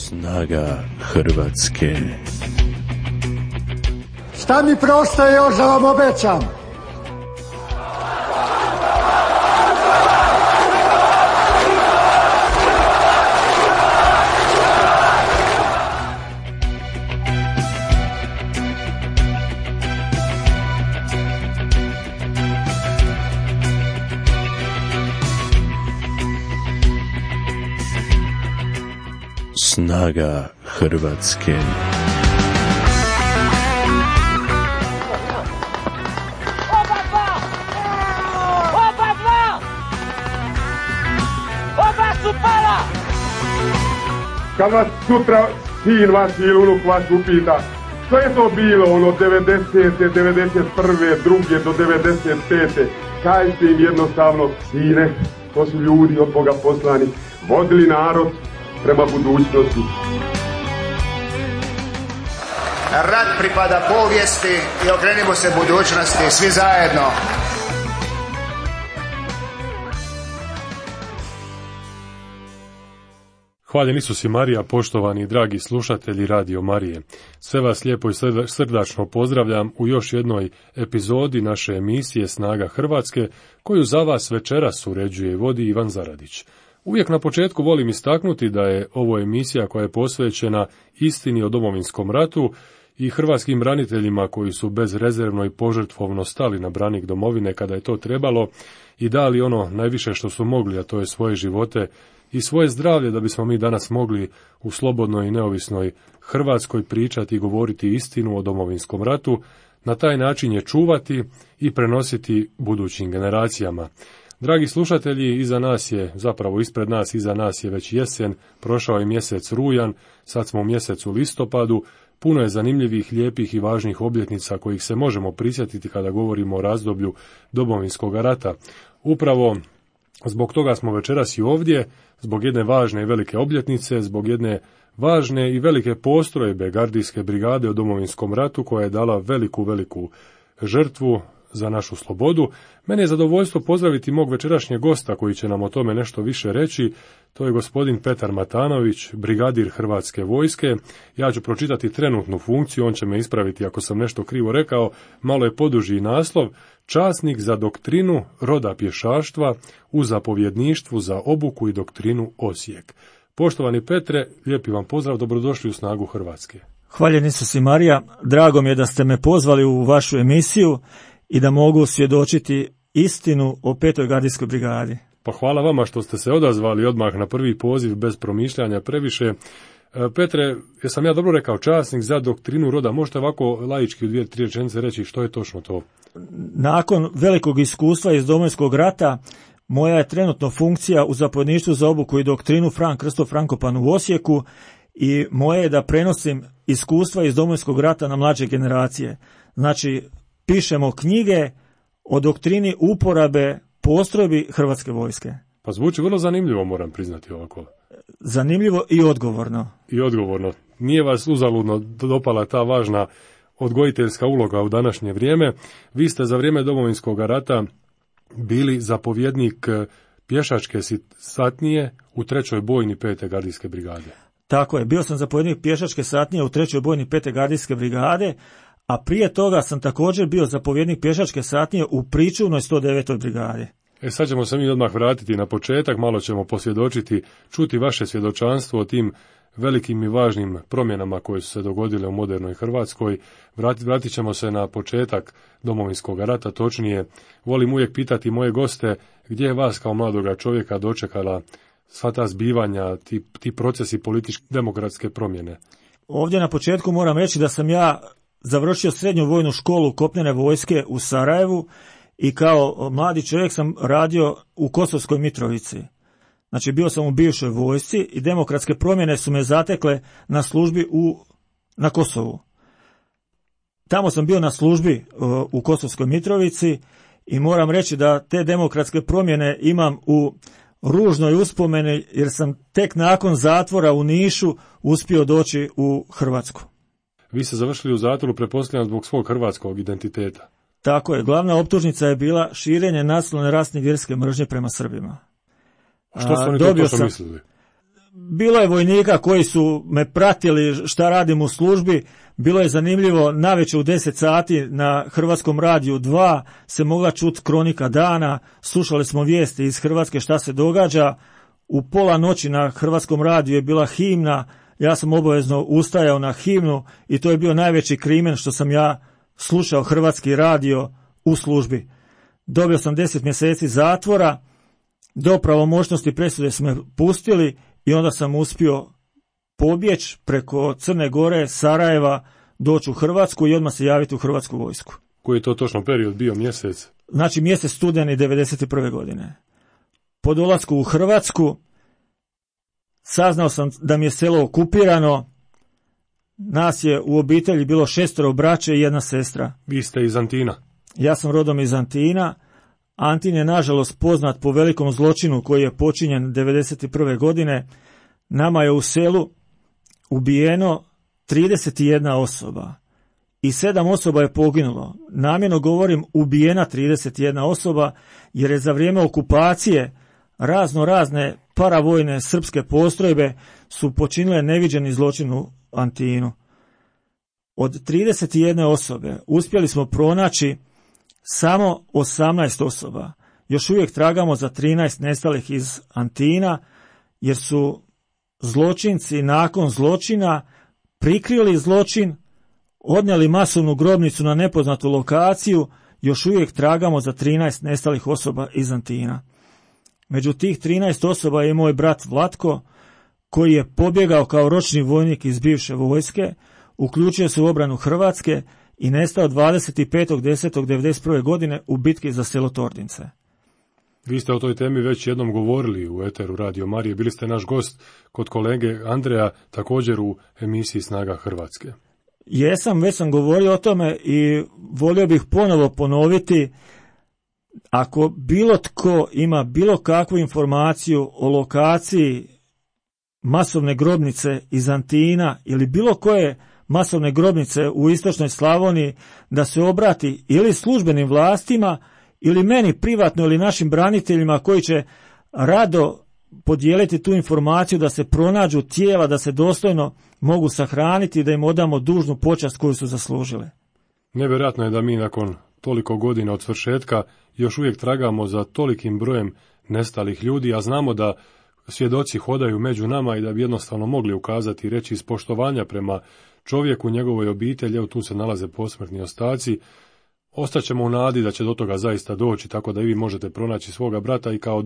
Snaga Hrvatske. Šta mi preostaje još da vam obećam? Snaga Hrvatske. Kad vas sutra sin vaš ili unuk vaš upita što je to bilo ono 90. 91. 2. do 95. Kažite im jednostavno, sine, to su ljudi od Boga poslani, vodili narod prema budućnosti. Rat pripada povijesti i okrenimo se budućnosti svi zajedno. Hvaljen Isus i Marija, poštovani i dragi slušatelji Radio Marije. Sve vas lijepo i srdačno pozdravljam u još jednoj epizodi naše emisije Snaga Hrvatske, koju za vas večeras uređuje i vodi Ivan Zaradić. Uvijek na početku volim istaknuti da je ovo emisija koja je posvećena istini o Domovinskom ratu i hrvatskim braniteljima koji su bezrezervno i požrtvovno stali na branik domovine kada je to trebalo i dali ono najviše što su mogli, a to je svoje živote i svoje zdravlje da bismo mi danas mogli u slobodnoj i neovisnoj Hrvatskoj pričati i govoriti istinu o Domovinskom ratu, na taj način je čuvati i prenositi budućim generacijama. Dragi slušatelji, iza nas je, zapravo ispred nas, iza nas je već jesen, prošao je mjesec rujan, sad smo u mjesecu listopadu, puno je zanimljivih, lijepih i važnih obljetnica kojih se možemo prisjetiti kada govorimo o razdoblju Domovinskog rata. Upravo zbog toga smo večeras i ovdje, zbog jedne važne i velike obljetnice, zbog jedne važne i velike postrojbe gardijske brigade o Domovinskom ratu koja je dala veliku žrtvu za našu slobodu. Mene je zadovoljstvo pozdraviti mog večerašnjeg gosta koji će nam o tome nešto više reći. To je gospodin Petar Matanović, brigadir Hrvatske vojske. Ja ću pročitati trenutnu funkciju, on će me ispraviti ako sam nešto krivo rekao. Malo je poduži naslov: časnik za doktrinu roda pješaštva u zapovjedništvu za obuku i doktrinu Osijek. Poštovani Petre, lijepi vam pozdrav, dobrodošli u Snagu Hrvatske. Hvaljen Isus i Marija, drago mi je da ste me pozvali u vašu emisiju i da mogu svjedočiti istinu o 5. gardijskoj brigadi. Pa hvala vama što ste se odazvali odmah na prvi poziv bez promišljanja previše. Petre, jesam ja dobro rekao, časnik za doktrinu roda, možete ovako laički u 2-3 rečenice reći što je točno to? Nakon velikog iskustva iz Domovinskog rata, moja je trenutno funkcija u zapovjedništvu za obuku i doktrinu Fran Krsto Frankopan u Osijeku i moje je da prenosim iskustva iz Domovinskog rata na mlađe generacije. Znači, pišemo knjige o doktrini uporabe postrojbi Hrvatske vojske. Pa zvuči vrlo zanimljivo, moram priznati ovako. Zanimljivo i odgovorno. I odgovorno. Nije vas uzaludno dopala ta važna odgojiteljska uloga u današnje vrijeme. Vi ste za vrijeme Domovinskog rata bili zapovjednik pješačke satnije u 3. bojni 5. gardijske brigade. Tako je, bio sam zapovjednik pješačke satnije u 3. bojni 5. gardijske brigade, a prije toga sam također bio zapovjednik pješačke satnije u pričuvnoj 109. brigadi. Sad ćemo se mi odmah vratiti na početak, malo ćemo posvjedočiti, čuti vaše svjedočanstvo o tim velikim i važnim promjenama koje su se dogodile u modernoj Hrvatskoj. Vratit ćemo se na početak Domovinskog rata, točnije volim uvijek pitati moje goste gdje je vas kao mladoga čovjeka dočekala sva ta zbivanja, ti procesi političke demokratske promjene. Ovdje na početku moram reći da sam ja završio srednju vojnu školu kopnene vojske u Sarajevu i kao mladi čovjek sam radio u Kosovskoj Mitrovici. Znači bio sam u bivšoj vojsci i demokratske promjene su me zatekle na službi na Kosovu. Tamo sam bio na službi u Kosovskoj Mitrovici i moram reći da te demokratske promjene imam u ružnoj uspomeni jer sam tek nakon zatvora u Nišu uspio doći u Hrvatsku. Vi ste završili u zatvoru, pretpostavljam, zbog svog hrvatskog identiteta. Tako je, glavna optužnica je bila širenje nacionalne rasne i vjerske mržnje prema Srbima. Što su oni to mislili? bilo je vojnika koji su me pratili šta radim u službi. Bilo je zanimljivo, navečer u 10 sati na Hrvatskom radiju 2 se mogla čuti kronika dana, slušali smo vijesti iz Hrvatske šta se događa. U pola noći na Hrvatskom radiju je bila himna, ja sam obavezno ustajao na himnu i to je bio najveći krimen što sam ja slušao Hrvatski radio u službi. Dobio sam 10 mjeseci zatvora, do pravomoćnosti presude su me pustili i onda sam uspio pobjeći preko Crne Gore, Sarajeva, doći u Hrvatsku i odmah se javiti u Hrvatsku vojsku. Koji je to točno period bio, mjesec? Znači mjesec studeni 1991. godine. Po dolasku u Hrvatsku saznao sam da mi je selo okupirano. Nas je u obitelji bilo 6 braće i 1 sestra. Vi ste iz Antina? Ja sam rodom iz Antina. Antin je nažalost poznat po velikom zločinu koji je počinjen 1991. godine. Nama je u selu ubijeno 31 osoba i 7 osoba je poginulo. Namjerno govorim ubijena 31 osoba jer je za vrijeme okupacije razne paravojne srpske postrojbe su počinile neviđeni zločin u Antinu. Od 31 osobe uspjeli smo pronaći samo 18 osoba. Još uvijek tragamo za 13 nestalih iz Antina jer su zločinci nakon zločina prikrili zločin, odnijeli masovnu grobnicu na nepoznatu lokaciju, još uvijek tragamo za 13 nestalih osoba iz Antina. Među tih 13 osoba je moj brat Vlatko, koji je pobjegao kao ročni vojnik iz bivše vojske, uključio se u obranu Hrvatske i nestao 25.10.1991. godine u bitki za selo Tordince. Vi ste o toj temi već jednom govorili u eteru Radio Marije, bili ste naš gost kod kolege Andreja, također u emisiji Snaga Hrvatske. Jesam, već sam govorio o tome i volio bih ponovo ponoviti, ako bilo tko ima bilo kakvu informaciju o lokaciji masovne grobnice iz Antina ili bilo koje masovne grobnice u istočnoj Slavoniji, da se obrati ili službenim vlastima ili meni privatno ili našim braniteljima koji će rado podijeliti tu informaciju da se pronađu tijela, da se dostojno mogu sahraniti i da im odamo dužnu počast koju su zaslužile. Nevjerojatno je da mi nakon toliko godina od svršetka još uvijek tragamo za tolikim brojem nestalih ljudi, a znamo da svjedoci hodaju među nama i da bi jednostavno mogli ukazati i reći iz poštovanja prema čovjeku, njegovoj obitelji, evo tu se nalaze posmrtni ostaci. Ostaćemo u nadi da će do toga zaista doći, tako da i vi možete pronaći svoga brata i kao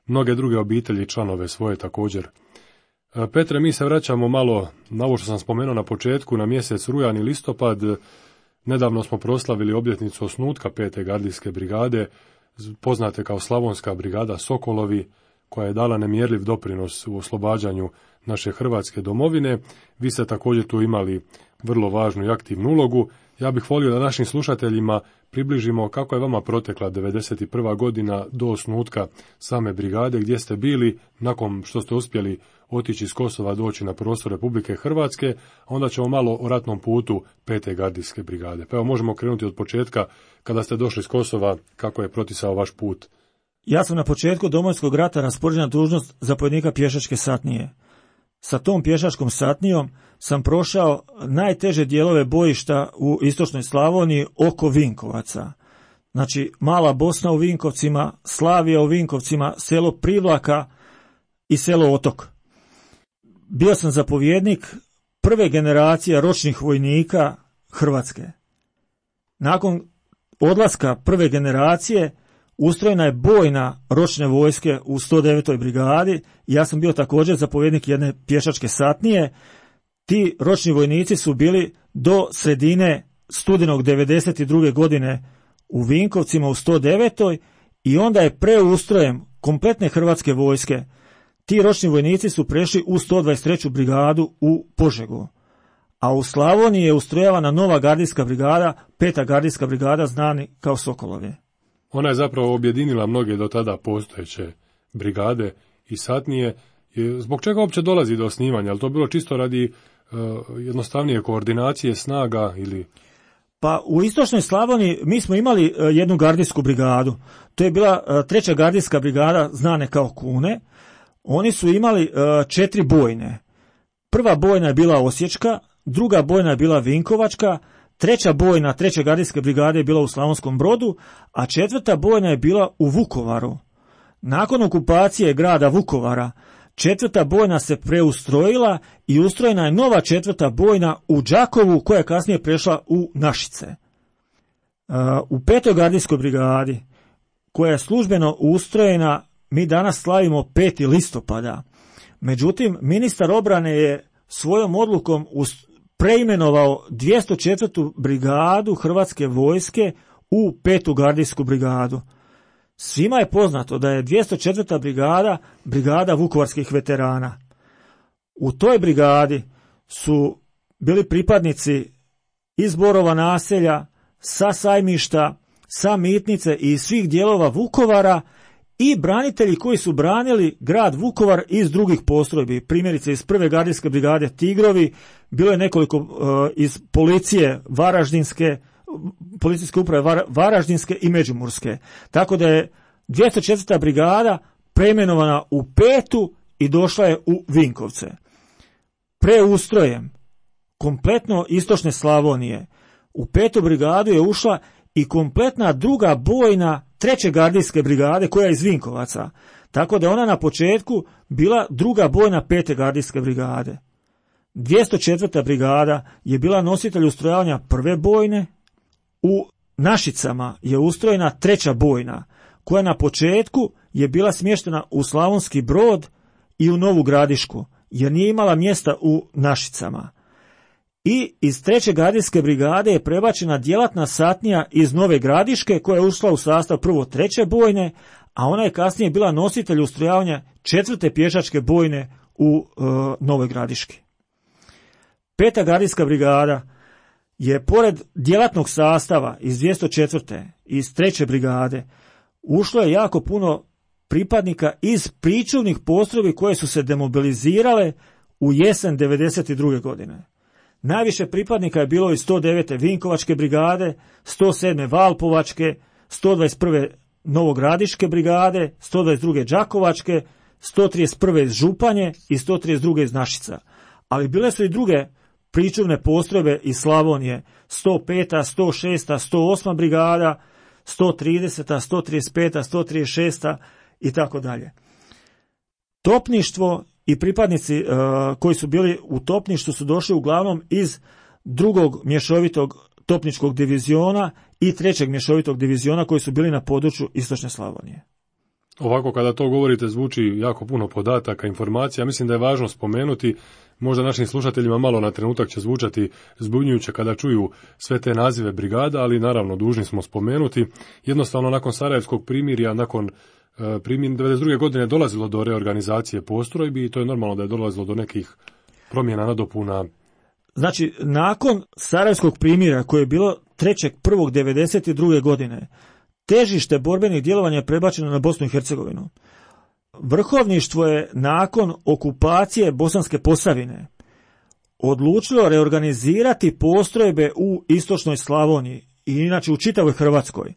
mnoge druge obitelji i članove svoje također. Petre, mi se vraćamo malo na ovo što sam spomenuo na početku, na mjesec rujan i listopad. Nedavno smo proslavili obljetnicu osnutka 5. gardijske brigade, poznate kao Slavonska brigada Sokolovi, koja je dala nemjerljiv doprinos u oslobađanju naše Hrvatske domovine. Vi ste također tu imali vrlo važnu i aktivnu ulogu. Ja bih volio da našim slušateljima približimo kako je vama protekla 1991. godina do osnutka same brigade, gdje ste bili nakon što ste uspjeli otići iz Kosova, doći na prostor Republike Hrvatske, a onda ćemo malo o ratnom putu 5. gardijske brigade. Pa evo možemo krenuti od početka, kada ste došli iz Kosova, kako je protisao vaš put. Ja sam na početku Domovinskog rata raspoređen na dužnost zapovjednika pješačke satnije. Sa tom pješačkom satnijom sam prošao najteže dijelove bojišta u istočnoj Slavoniji oko Vinkovaca. Znači, Mala Bosna u Vinkovcima, Slavija u Vinkovcima, selo Privlaka i selo Otok. Bio sam zapovjednik prve generacije ročnih vojnika Hrvatske. Nakon odlaska prve generacije ustrojena je bojna ročne vojske u 109. brigadi. Ja sam bio također zapovjednik jedne pješačke satnije. Ti ročni vojnici su bili do sredine studenog 92. godine u Vinkovcima u 109. i onda je preustrojem kompletne hrvatske vojske ti ročni vojnici su prešli u 123. brigadu u Požegu. A u Slavoniji je ustrojavana nova gardijska brigada, 5. gardijska brigada, znani kao Sokolovi. Ona je zapravo objedinila mnoge do tada postojeće brigade i satnije. Zbog čega uopće dolazi do osnivanja? Je to bilo čisto radi jednostavnije koordinacije snaga ili... Pa u istočnoj Slavoniji mi smo imali jednu gardijsku brigadu. To je bila 3. gardijska brigada, znane kao Kune. oni su imali 4 bojne. Prva bojna je bila Osječka, druga bojna je bila Vinkovačka, treća bojna 3. gardijske brigade je bila u Slavonskom Brodu, a 4. bojna je bila u Vukovaru. Nakon okupacije grada Vukovara, 4. bojna se preustrojila i ustrojena je nova 4. bojna u Đakovu, koja je kasnije prešla u Našice. U 5. gardijskoj brigadi, koja je službeno ustrojena, mi danas slavimo 5. listopada. Međutim, ministar obrane je svojom odlukom preimenovao 204. brigadu Hrvatske vojske u 5. gardijsku brigadu. Svima je poznato da je 204. brigada vukovarskih veterana. U toj brigadi su bili pripadnici iz Borova naselja, sa Sajmišta, sa Mitnice i svih dijelova Vukovara i branitelji koji su branili grad Vukovar iz drugih postrojbi. Primjerice iz 1. gardijske brigade Tigrovi, bilo je nekoliko iz policije Varaždinske, policijske uprave Varaždinske i Međimurske. Tako da je 204. brigada preimenovana u 5. i došla je u Vinkovce. Preustrojem kompletno istočne Slavonije u 5. brigadu je ušla i kompletna druga bojna 3. gardijske brigade koja je iz Vinkovaca. Tako da ona na početku bila druga bojna 5. gardijske brigade. 204. brigada je bila nositelj ustrojavanja 1. bojne. U Našicama je ustrojena 3. bojna, koja na početku je bila smještena u Slavonski Brod i u Novu Gradišku, jer nije imala mjesta u Našicama. I iz 3. gardijske brigade je prebačena djelatna satnija iz Nove Gradiške, koja je ušla u sastav prvo 3. bojne, a ona je kasnije bila nositelj ustrojavanja 4. pješačke bojne u Novoj Gradiški. 5. gardijska brigada je pored djelatnog sastava iz 204. iz 3. brigade ušlo je jako puno pripadnika iz pričuvnih postrojbi koje su se demobilizirale u jesen 1992. godine. Najviše pripadnika je bilo iz 109. Vinkovačke brigade, 107. Valpovačke, 121. Novogradiške brigade, 122. Đakovačke, 131. iz Županje i 132. iz Našica. Ali bile su i druge pričuvne postrojbe iz Slavonije, 105., 106., 108. brigada, 130., 135., 136. i tako dalje. Topništvo i pripadnici koji su bili u topništvu su došli uglavnom iz 2. mješovitog topničkog diviziona i 3. mješovitog diviziona koji su bili na području istočne Slavonije. Ovako kada to govorite zvuči jako puno podataka, informacija. Mislim da je važno spomenuti, možda našim slušateljima malo na trenutak će zvučati zbunjujuće kada čuju sve te nazive brigada, ali naravno dužni smo spomenuti. Jednostavno nakon Sarajevskog primirja, nakon 1992. godine dolazilo do reorganizacije postrojbi i to je normalno da je dolazilo do nekih promjena, nadopuna. Znači, nakon Sarajevskog primirja koje je bilo 3.1.1992. godine, težište borbenih djelovanja je prebačeno na Bosnu i Hercegovinu. Vrhovništvo je nakon okupacije Bosanske Posavine odlučilo reorganizirati postrojbe u istočnoj Slavoniji i inače u čitavoj Hrvatskoj.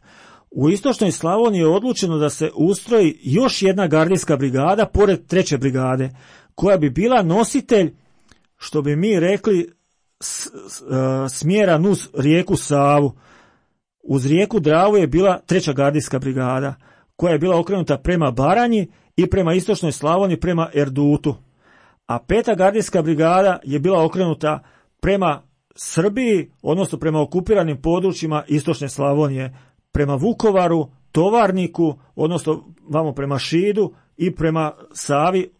U istočnoj Slavoniji je odlučeno da se ustroji još jedna gardijska brigada pored 3. brigade, koja bi bila nositelj, što bi mi rekli, smjera nuz rijeku Savu. Uz rijeku Dravu je bila 3. gardijska brigada, koja je bila okrenuta prema Baranji i prema istočnoj Slavoniji prema Erdutu. A 5. gardijska brigada je bila okrenuta prema Srbiji, odnosno prema okupiranim područjima istočne Slavonije, prema Vukovaru, Tovarniku, odnosno vamo prema Šidu i prema Savi,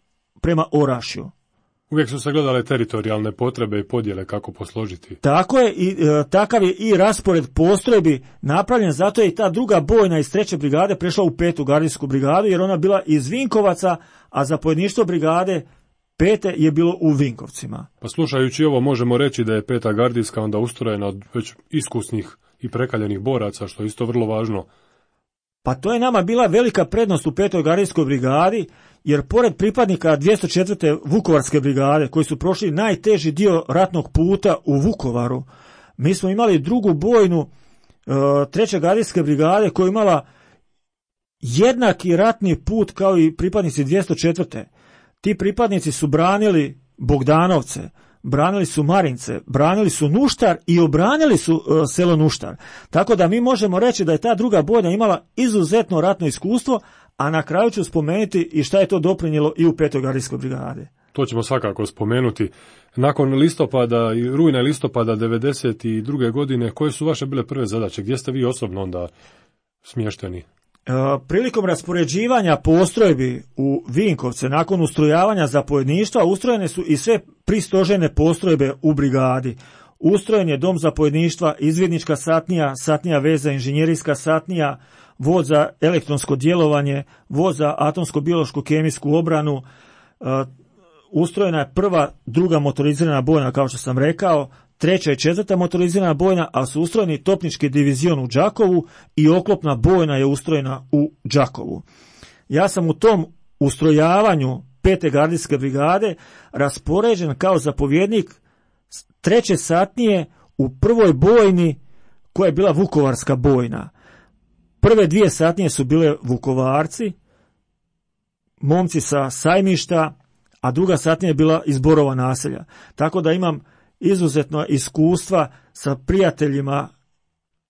prema Orašju. Uvijek su se gledale teritorijalne potrebe i podjele kako posložiti. Tako je, i takav je i raspored postrojbi napravljen, zato je i ta druga bojna iz 3. brigade prešla u 5. gardijsku brigadu, jer ona bila iz Vinkovaca, a zapovjedništvo brigade 5. je bilo u Vinkovcima. Pa slušajući ovo možemo reći da je 5. gardijska onda ustrojena od već iskusnih i prekaljenih boraca, što je isto vrlo važno. Pa to je nama bila velika prednost u 5. gardijskoj brigadi, jer pored pripadnika 204. Vukovarske brigade, koji su prošli najteži dio ratnog puta u Vukovaru, mi smo imali drugu bojnu 3. gardijske brigade koja je imala jednaki ratni put kao i pripadnici 204. Ti pripadnici su branili Bogdanovce, branili su Marince, branili su Nuštar i obranili su selo Nuštar. Tako da mi možemo reći da je ta druga bojna imala izuzetno ratno iskustvo, a na kraju ću spomenuti i šta je to doprinijelo i u 5. gardijskoj brigade. To ćemo svakako spomenuti. Nakon listopada i rujna i listopada 92. godine, koje su vaše bile prve zadaće? Gdje ste vi osobno onda smješteni? Prilikom raspoređivanja postrojbi u Vinkovce, nakon ustrojavanja zapovjedništva, ustrojene su i sve pristožene postrojbe u brigadi. Ustrojen je dom zapovjedništva, izvidnička satnija, satnija veza, inženjerijska satnija, vod za elektronsko djelovanje, vod za atomsko-biološku kemijsku obranu. Ustrojena je prva, druga motorizirana bojna, kao što sam rekao, 3. i 4. motorizirana bojna, a su ustrojeni topnički divizion u Đakovu i oklopna bojna je ustrojena u Đakovu. Ja sam u tom ustrojavanju 5. gardijske brigade raspoređen kao zapovjednik 3. satnije u prvoj bojni koja je bila Vukovarska bojna. Prve 2 satnije su bile Vukovarci, momci sa Sajmišta, a druga satnija je bila iz Borova naselja. Tako da imam izuzetno iskustva sa prijateljima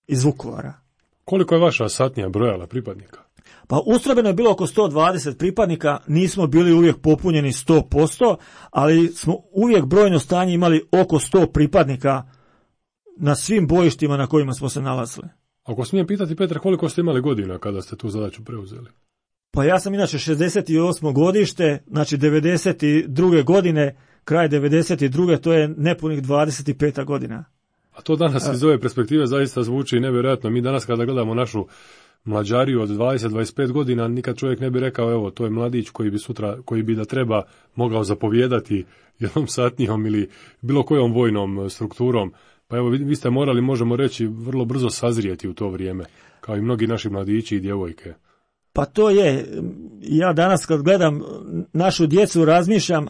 iz Vukovara. Koliko je vaša satnija brojala pripadnika? Pa ustrojbeno je bilo oko 120 pripadnika, nismo bili uvijek popunjeni 100%, ali smo uvijek brojno stanje imali oko 100 pripadnika na svim bojištima na kojima smo se nalazili. Ako smijem pitati, Petre, koliko ste imali godina kada ste tu zadaću preuzeli? Pa ja sam inače 68. godište, znači 92. godine, kraj 92. to je nepunih 25. godina. A to danas iz ove perspektive zaista zvuči nevjerojatno. Mi danas kada gledamo našu mlađariju od 20-25 godina, nikad čovjek ne bi rekao, evo, to je mladić koji bi da treba mogao zapovijedati jednom satnijom ili bilo kojom vojnom strukturom. Pa evo, vi ste morali, možemo reći, vrlo brzo sazrijeti u to vrijeme, kao i mnogi naši mladići i djevojke. Pa to je, ja danas kad gledam našu djecu razmišljam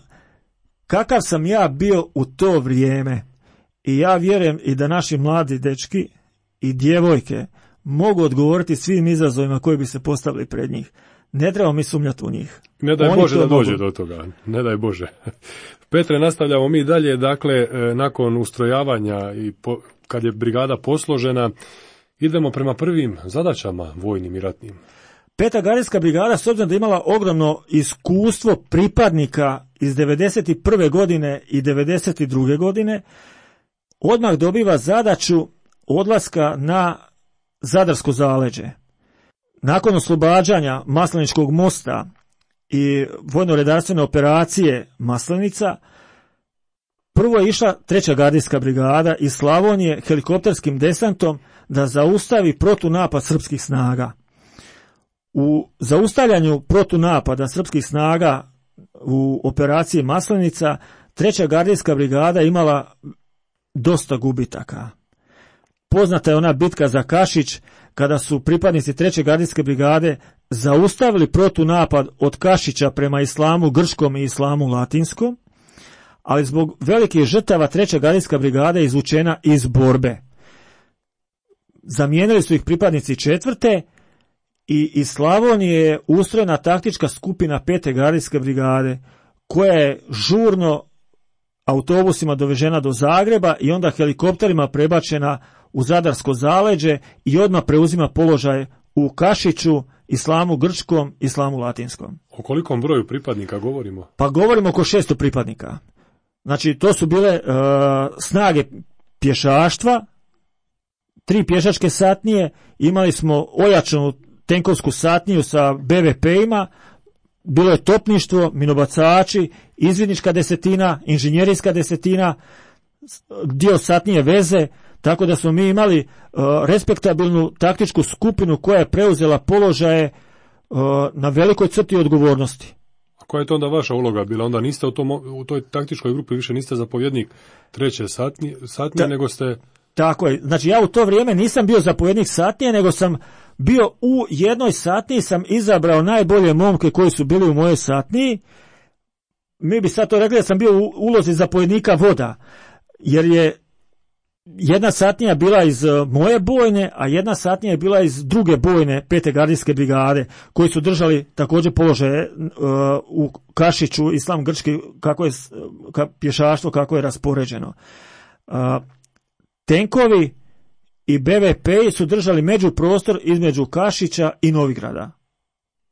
kakav sam ja bio u to vrijeme. I ja vjerujem i da naši mladi dečki i djevojke mogu odgovoriti svim izazovima koji bi se postavili pred njih. Ne trebamo mi sumnjati u njih. Ne daj Bože da dođe do toga. Ne daj Bože. Petre, nastavljamo mi dalje. Dakle, nakon ustrojavanja i kad je brigada posložena, idemo prema prvim zadaćama vojnim i ratnim. 5. gardijska brigada, s obzirom da je imala ogromno iskustvo pripadnika iz 91. godine i 92. godine, odmah dobiva zadaću odlaska na Zadarsko zaleđe. Nakon oslobađanja Masleničkog mosta i vojno-redarstvene operacije Maslenica, prvo je išla 3. gardijska brigada iz Slavonije helikopterskim desantom da zaustavi protunapad srpskih snaga. U zaustavljanju protunapada srpskih snaga u operaciji Maslenica 3. gardijska brigada imala dosta gubitaka. Poznata je ona bitka za Kašić, kada su pripadnici 3. gardijske brigade zaustavili protunapad od Kašića prema Islamu Grčkom i Islamu Latinskom, ali zbog velikih žrtava 3. gardijska brigada je izvučena iz borbe. Zamijenili su ih pripadnici 4. i iz Slavonije je ustrojena taktička skupina 5. gardijske brigade, koja je žurno autobusima dovežena do Zagreba i onda helikopterima prebačena u Zadarsko zaleđe i odmah preuzima položaj u Kašiću, Islamu Grčkom, Islamu Latinskom. O kolikom broju pripadnika govorimo? Pa govorimo oko 600 pripadnika. Znači, to su bile snage pješaštva, 3 pješačke satnije, imali smo ojačanu tenkovsku satniju sa BVP-ima, bilo je topništvo, minobacači, izvidnička desetina, inženjerijska desetina, dio satnije veze, tako da smo mi imali respektabilnu taktičku skupinu koja je preuzela položaje na velikoj crti odgovornosti. A koja je to onda vaša uloga bila? Onda niste u toj taktičkoj grupi više niste zapovjednik 3. satnije, nego ste... Tako je. Znači ja u to vrijeme nisam bio zapovjednik satnije, nego sam bio u jednoj satniji, sam izabrao najbolje momke koji su bili u mojoj satniji. Mi bi sad to rekli da sam bio u ulozi zapovjednika voda, jer je jedna satnija bila iz moje bojne, a jedna satnija je bila iz druge bojne 5. gardijske brigade, koji su držali također položaje u Kašiću, Islam Grčki, kako je pješaštvo, kako je raspoređeno. Tenkovi i BVP su držali međuprostor između Kašića i Novigrada.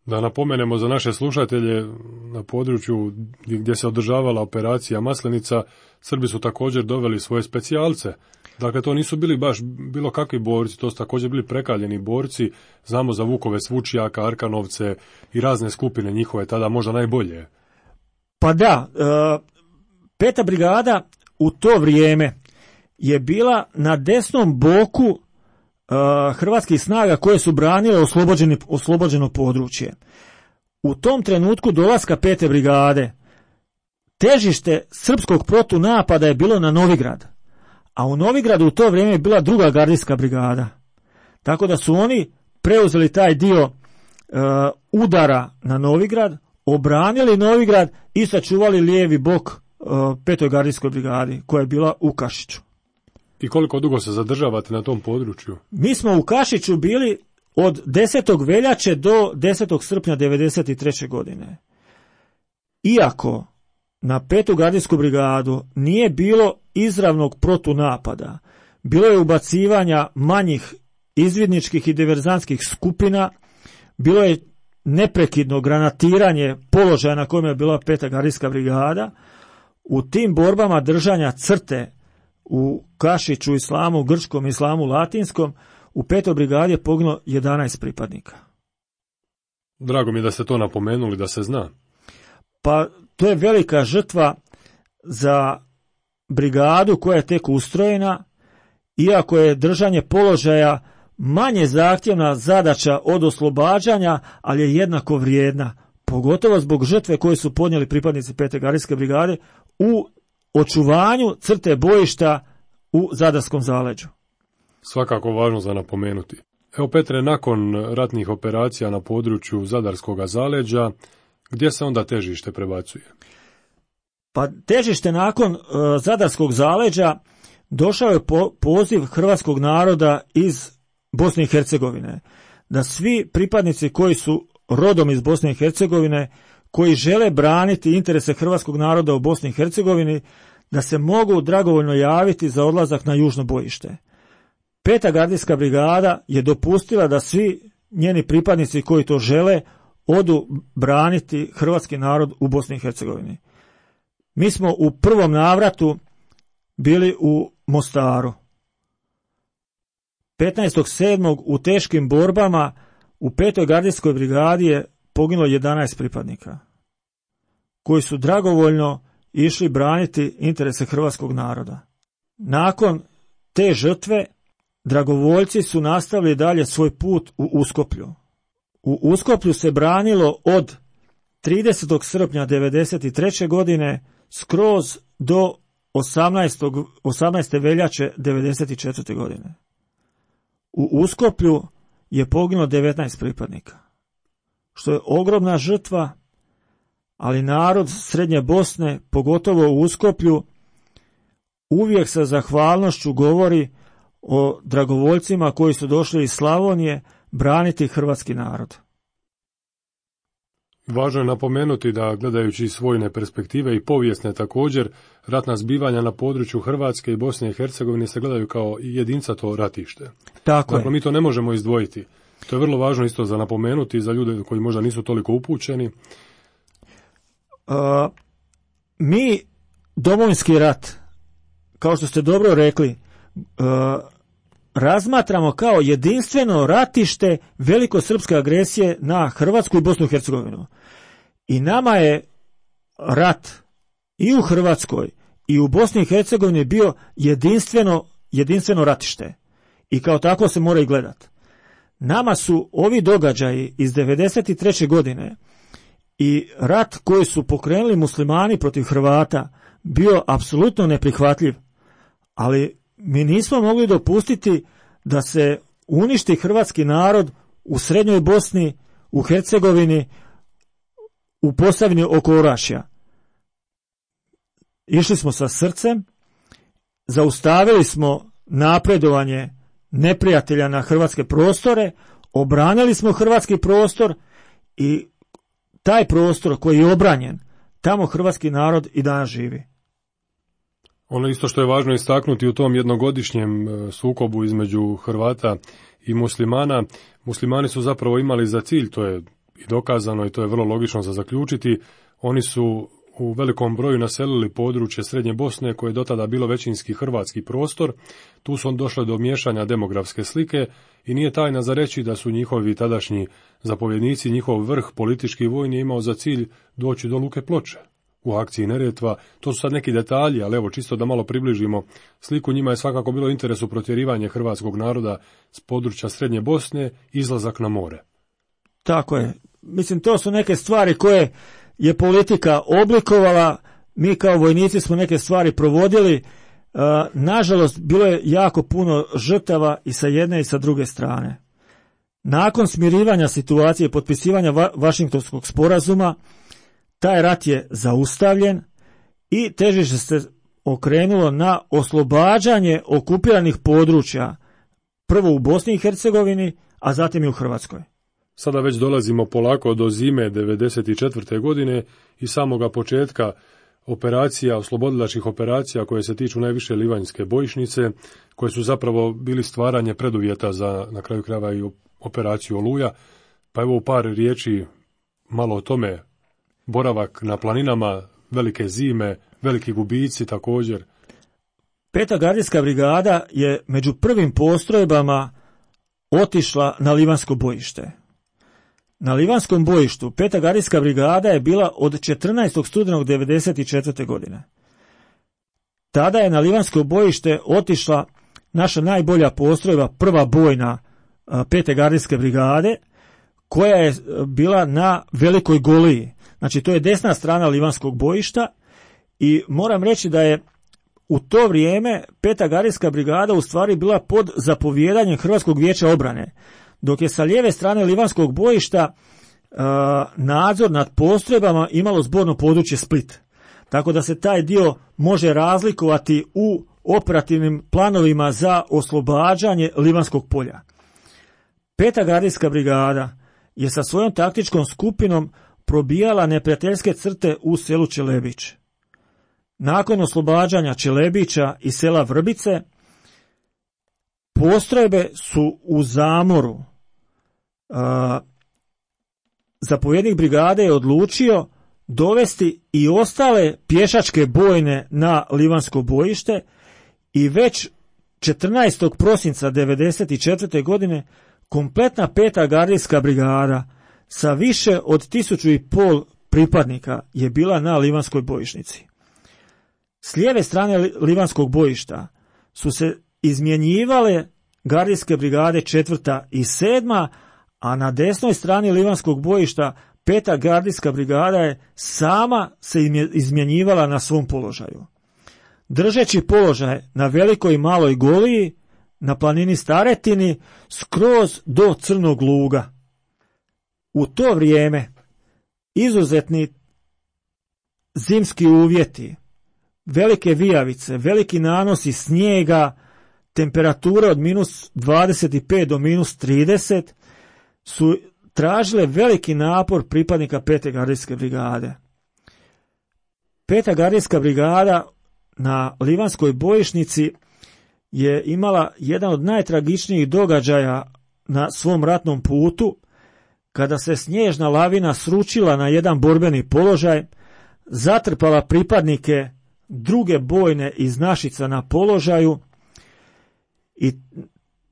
Da napomenemo za naše slušatelje, na području gdje se održavala operacija Maslenica, Srbi su također doveli svoje specijalce. Dakle, to nisu bili baš bilo kakvi borci, to su također bili prekaljeni borci. Znamo za Vukove Svučijaka, Arkanovce i razne skupine njihove, tada možda najbolje. Pa da, 5. brigada u to vrijeme je bila na desnom boku hrvatskih snaga koje su branile oslobođeno područje. U tom trenutku dolaska 5. brigade težište srpskog protunapada je bilo na Novigrad, a u Novigradu u to vrijeme je bila 2. gardijska brigada. Tako da su oni preuzeli taj dio udara na Novigrad, obranili Novigrad i sačuvali lijevi bok 5. gardijskoj brigadi koja je bila u Kašiću. I koliko dugo se zadržavate na tom području? Mi smo u Kašiću bili od 10. veljače do 10. srpnja 1993. godine. Iako na 5. gardijsku brigadu nije bilo izravnog protunapada, bilo je ubacivanja manjih izvidničkih i diverzantskih skupina, bilo je neprekidno granatiranje položaja na kojem je bila 5. gardijska brigada. U tim borbama držanja crte u Kašiću, Islamu Grčkom, Islamu Latinskom, u 5. brigadi je poginulo 11 pripadnika. Drago mi je da ste to napomenuli, da se zna. Pa to je velika žrtva za brigadu koja je tek ustrojena, iako je držanje položaja manje zahtjevna zadaća od oslobađanja, ali je jednako vrijedna, pogotovo zbog žrtve koje su podnijeli pripadnici 5. gardijske brigade u očuvanju crte bojišta u Zadarskom zaleđu. Svakako važno za napomenuti. Evo Petre, nakon ratnih operacija na području Zadarskog zaleđa, gdje se onda težište prebacuje? Pa težište nakon Zadarskog zaleđa došao je poziv hrvatskog naroda iz Bosne i Hercegovine, da svi pripadnici koji su rodom iz Bosne i Hercegovine, koji žele braniti interese hrvatskog naroda u Bosni i Hercegovini, da se mogu dragovoljno javiti za odlazak na južno bojište. 5. gardijska brigada je dopustila da svi njeni pripadnici koji to žele odu braniti hrvatski narod u Bosni i Hercegovini. Mi smo u prvom navratu bili u Mostaru. 15.7. u teškim borbama u 5. gardijskoj brigadi je poginulo 11 pripadnika koji su dragovoljno išli braniti interese hrvatskog naroda. Nakon te žrtve dragovoljci su nastavili dalje svoj put u Uskoplju. U Uskoplju se branilo od 30. srpnja 1993. godine skroz do 18. veljače 1994. godine. U Uskoplju je poginulo 19 pripadnika, što je ogromna žrtva, ali narod Srednje Bosne, pogotovo u Uskoplju, uvijek sa zahvalnošću govori o dragovoljcima koji su došli iz Slavonije braniti hrvatski narod. Važno je napomenuti da, gledajući iz vojne perspektive i povijesne također, ratna zbivanja na području Hrvatske i Bosne i Hercegovine se gledaju kao jedincato ratište. Tako dakle, mi to ne možemo izdvojiti. To je vrlo važno isto za napomenuti za ljude koji možda nisu toliko upućeni. Mi Domovinski rat, kao što ste dobro rekli, razmatramo kao jedinstveno ratište velikosrpske agresije na Hrvatsku i Bosnu i Hercegovinu. I nama je rat i u Hrvatskoj i u Bosni i Hercegovini bio jedinstveno ratište. I kao tako se mora i gledati. Nama su ovi događaji iz 1993. godine i rat koji su pokrenuli muslimani protiv Hrvata bio apsolutno neprihvatljiv. Ali mi nismo mogli dopustiti da se uništi hrvatski narod u Srednjoj Bosni, u Hercegovini, u Posavini oko Orašja. Išli smo sa srcem, zaustavili smo napredovanje neprijatelja na hrvatske prostore, obranili smo hrvatski prostor i taj prostor koji je obranjen, tamo hrvatski narod i danas živi. Ono isto što je važno istaknuti u tom jednogodišnjem sukobu između Hrvata i muslimana, muslimani su zapravo imali za cilj, to je i dokazano i to je vrlo logično za zaključiti, oni su u velikom broju naselili područje Srednje Bosne koje je do tada bilo većinski hrvatski prostor. Tu su došle do miješanja demografske slike i nije tajna za reći da su njihovi tadašnji zapovjednici, njihov vrh politički i vojni imao za cilj doći do Luke Ploče u akciji Neretva. To su sad neki detalji, ali evo čisto da malo približimo sliku, njima je svakako bilo interesu protjerivanje hrvatskog naroda s područja Srednje Bosne, izlazak na more. Tako je. Mislim, to su neke stvari koje je politika oblikovala, mi kao vojnici smo neke stvari provodili, nažalost bilo je jako puno žrtava i sa jedne i sa druge strane. Nakon smirivanja situacije i potpisivanja Vašingtonskog sporazuma, taj rat je zaustavljen i težište se okrenulo na oslobađanje okupiranih područja, prvo u Bosni i Hercegovini, a zatim i u Hrvatskoj. Sada već dolazimo polako do zime 1994. godine i samoga početka operacija, oslobodilačkih operacija koje se tiču najviše Livanjske bojišnice, koje su zapravo bili stvaranje preduvjeta za, na kraju krajeva, i operaciju Oluja. Pa evo u par riječi malo o tome. Boravak na planinama, velike zime, veliki gubici također. 5. gardijska brigada je među prvim postrojbama otišla na Livanjsko bojište. Na Livanjskom bojištu 5. gardijska brigada je bila od 14. studenog 1994. godine. Tada je na Livanjsko bojište otišla naša najbolja postrojba, prva bojna 5. gardijske brigade, koja je bila na Velikoj Goliji. Znači, to je desna strana Livanjskog bojišta i moram reći da je u to vrijeme 5. gardijska brigada u stvari bila pod zapovijedanjem Hrvatskog vijeća obrane, dok je sa lijeve strane Livanjskog bojišta nadzor nad postrojbama imalo zborno područje Split. Tako da se taj dio može razlikovati u operativnim planovima za oslobađanje Livanjskog polja. 5. gardijska brigada je sa svojom taktičkom skupinom probijala neprijateljske crte u selu Čelebić. Nakon oslobađanja Čelebića i sela Vrbice, postrojbe su u zamoru. Zapovjednik brigade je odlučio dovesti i ostale pješačke bojne na Livanjsko bojište i već 14. prosinca 1994. godine kompletna 5. gardijska brigada sa više od 1500 pripadnika je bila na Livanjskoj bojišnici. S lijeve strane Livanjskog bojišta su se izmjenjivale gardijske brigade 4. i 7., a na desnoj strani Livanjskog bojišta 5. gardijska brigada je sama se izmjenjivala na svom položaju. Držeći položaj na Velikoj i Maloj Goliji, na planini Staretini, skroz do Crnog Luga. U to vrijeme izuzetni zimski uvjeti, velike vijavice, veliki nanosi snijega, temperature od minus 25 do minus 30 su tražile veliki napor pripadnika 5. gardijske brigade. 5. gardijska brigada na Livanjskoj bojišnici je imala jedan od najtragičnijih događaja na svom ratnom putu, kada se snježna lavina sručila na jedan borbeni položaj, zatrpala pripadnike druge bojne iz Našica na položaju i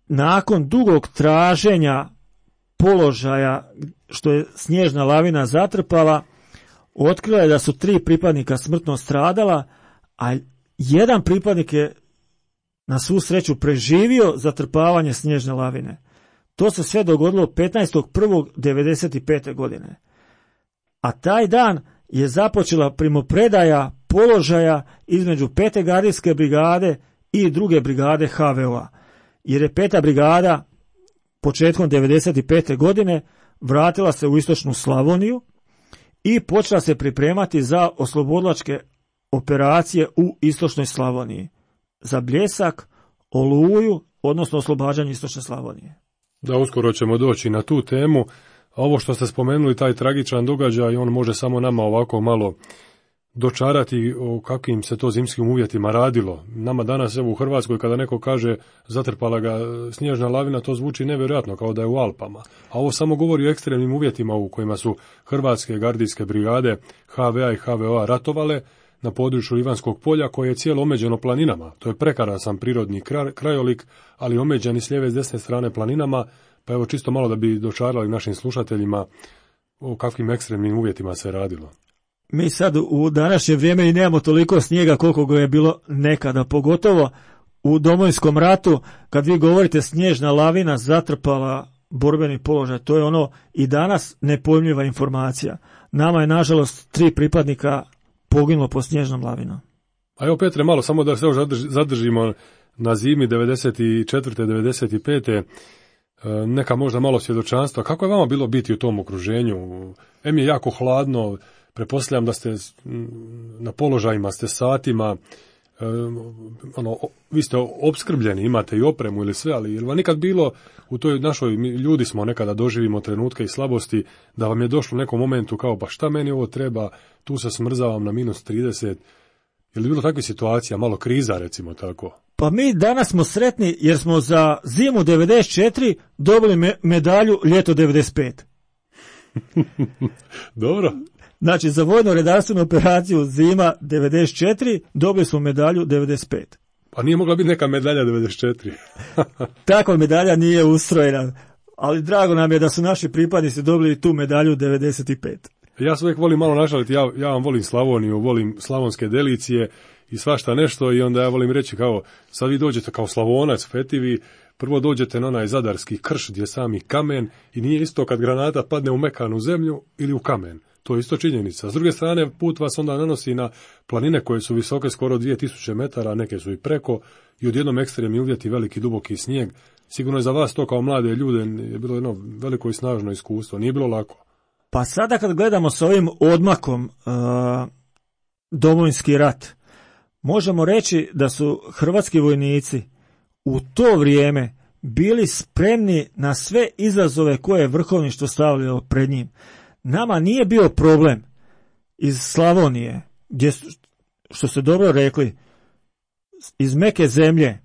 nakon dugog traženja položaja što je snježna lavina zatrpala, otkrila je da su 3 pripadnika smrtno stradala, a jedan pripadnik je na svu sreću preživio zatrpavanje snježne lavine. To se sve dogodilo 15.1.1995. godine. A taj dan je započela primopredaja položaja između 5. gardijske brigade i druge brigade HVO-a, jer je 5. brigada početkom 1995. godine vratila se u istočnu Slavoniju i počela se pripremati za oslobodilačke operacije u istočnoj Slavoniji, za Bljesak, Oluju, odnosno oslobađanje istočne Slavonije. Da, uskoro ćemo doći na tu temu. A ovo što ste spomenuli, taj tragičan događaj, on može samo nama ovako malo dočarati o kakvim se to zimskim uvjetima radilo. Nama danas, evo u Hrvatskoj, kada neko kaže zatrpala ga snježna lavina, to zvuči nevjerojatno, kao da je u Alpama. A ovo samo govori o ekstremnim uvjetima u kojima su hrvatske gardijske brigade HVA i HVO ratovale na području Livanskog polja, koje je cijelo omeđeno planinama. To je prekrasan prirodni krajolik, ali omeđen i s lijeve i s desne strane planinama. Pa evo čisto malo da bi dočarali našim slušateljima o kakvim ekstremnim uvjetima se radilo. Mi sad u današnje vrijeme i nemamo toliko snijega koliko ga je bilo nekada, pogotovo u Domovinskom ratu, kad vi govorite snježna lavina zatrpala borbeni položaj, to je ono i danas nepojmljiva informacija. Nama je nažalost 3 pripadnika poginulo po snježnom lavinom. A evo Petre, malo samo da se još zadržimo na zimi 94. 95. Neka možda malo svjedočanstva. Kako je vama bilo biti u tom okruženju? Je jako hladno, pretpostavljam da ste na položajima, ste satima, vi ste opskrbljeni, imate i opremu ili sve, ali je li vam nikad bilo u toj našoj, ljudi smo nekada doživimo trenutke i slabosti, da vam je došlo u nekom momentu kao, pa šta meni ovo treba, tu se smrzavam na -30, je li bilo takvih situacija, malo kriza recimo tako? Pa mi danas smo sretni jer smo za zimu 94 dobili medalju ljeto 95. Dobro. Znači, za vojno redarstvenu operaciju zima 94 dobili smo medalju 95. Pa nije mogla biti neka medalja 94. Takva medalja nije ustrojena, ali drago nam je da su naši pripadnici dobili tu medalju 95. Ja se uvijek volim malo našaliti, ja vam volim Slavoniju, volim slavonske delicije i svašta nešto i onda ja volim reći kao, sad vi dođete kao Slavonac, fetivi, prvo dođete na onaj zadarski krš gdje je sami kamen i nije isto kad granata padne u mekanu zemlju ili u kamen. To je isto činjenica. S druge strane, put vas onda nanosi na planine koje su visoke skoro 2000 metara, neke su i preko, i odjednom ekstremni uvjeti, veliki duboki snijeg. Sigurno je za vas to kao mlade ljude je bilo jedno veliko i snažno iskustvo. Nije bilo lako. Pa sada kad gledamo s ovim odmakom Domovinski rat, možemo reći da su hrvatski vojnici u to vrijeme bili spremni na sve izazove koje je vrhovništvo stavljalo pred njim. Nama nije bio problem iz Slavonije, gdje, što ste dobro rekli, iz meke zemlje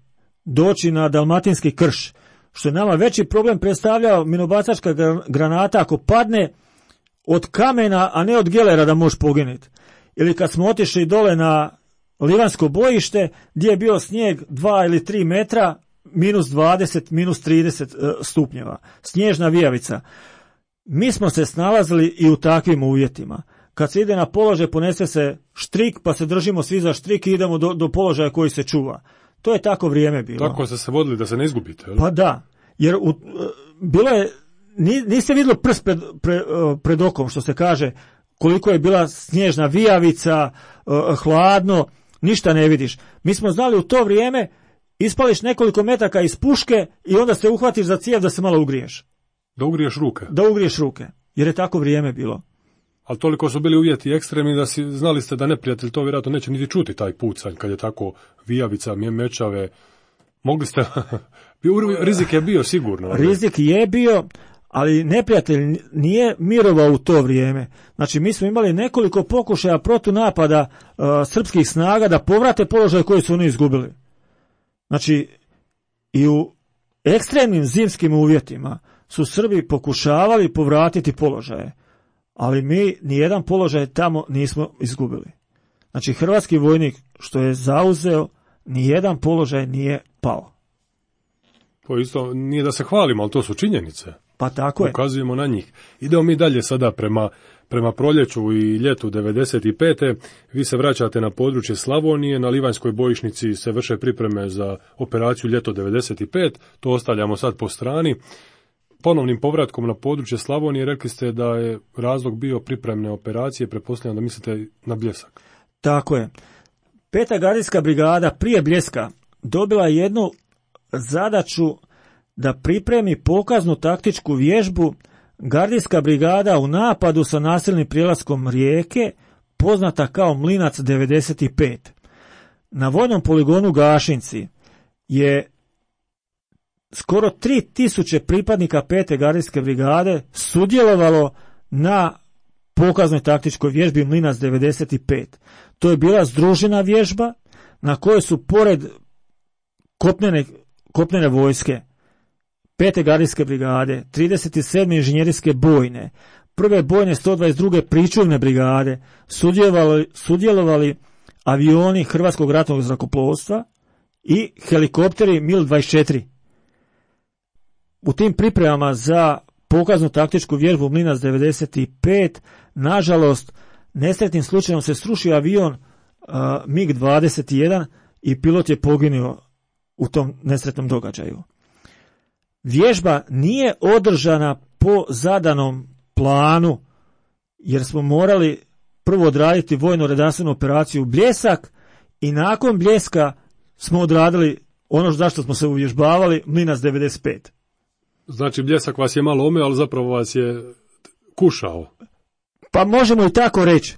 doći na dalmatinski krš, što je nama veći problem predstavljao minobacačka granata ako padne od kamena, a ne od gelera da može poginuti. Ili kad smo otišli dole na Livansko bojište, gdje je bio snijeg 2 ili 3 metra, -20, -30 stupnjeva, snježna vijavica. Mi smo se snalazili i u takvim uvjetima. Kad se ide na položaj, ponese se štrik, pa se držimo svi za štrik i idemo do položaja koji se čuva. To je tako vrijeme bilo. Tako ste se vodili da se ne izgubite, jel? Pa da, jer bilo je, niste vidjeli prst pred okom, što se kaže, koliko je bila snježna vijavica, hladno, ništa ne vidiš. Mi smo znali u to vrijeme, ispališ nekoliko metaka iz puške i onda se uhvatiš za cijev da se malo ugriješ. Da ugriješ ruke. Da ugriješ ruke, jer je tako vrijeme bilo. Ali toliko su bili uvjeti ekstremni da znali ste da neprijatelj to vjerojatno neće niti čuti taj pucanj kad je tako vijavica, mečave. Mogli ste, rizik je bio sigurno. Rizik je bio, ali neprijatelj nije mirovao u to vrijeme. Znači mi smo imali nekoliko pokušaja protunapada srpskih snaga da povrate položaj koji su oni izgubili. Znači i u ekstremnim zimskim uvjetima su Srbi pokušavali povratiti položaje, ali mi nijedan položaj tamo nismo izgubili. Znači hrvatski vojnik što je zauzeo, nijedan položaj nije pao. To isto nije da se hvalimo, ali to su činjenice. Pa tako je. Ukazujemo na njih. Idemo mi dalje sada prema proljeću i ljetu 95. Vi se vraćate na područje Slavonije, na Livanjskoj bojišnici se vrše pripreme za operaciju ljeto 95. To ostavljamo sad po strani. Ponovnim povratkom na područje Slavonije rekli ste da je razlog bio pripremne operacije, pretpostavljam da mislite na Bljesak. Tako je. 5. gardijska brigada prije Bljeska dobila jednu zadaću da pripremi pokaznu taktičku vježbu gardijska brigada u napadu sa nasilnim prijelaskom rijeke, poznata kao Mlinac 95. Na vojnom poligonu Gašinci je skoro 3000 pripadnika 5. gardijske brigade sudjelovalo na pokaznoj taktičkoj vježbi Mlinac 95. To je bila združena vježba na kojoj su pored kopnene vojske 5. gardijske brigade, 37. inženjerijske bojne, prve bojne 122. pričuvne brigade sudjelovali avioni Hrvatskog ratnog zrakoplovstva i helikopteri MIL-24. U tim pripremama za pokaznu taktičku vježbu Mlinac 95, nažalost, nesretnim slučajem se srušio avion MiG-21 i pilot je poginuo u tom nesretnom događaju. Vježba nije održana po zadanom planu, jer smo morali prvo odraditi vojno-redarstvenu operaciju Bljesak i nakon Bljeska smo odradili ono zašto smo se uvježbavali, Mlinac 95. Znači Bljesak vas je malo omeo, ali zapravo vas je kušao. Pa možemo i tako reći.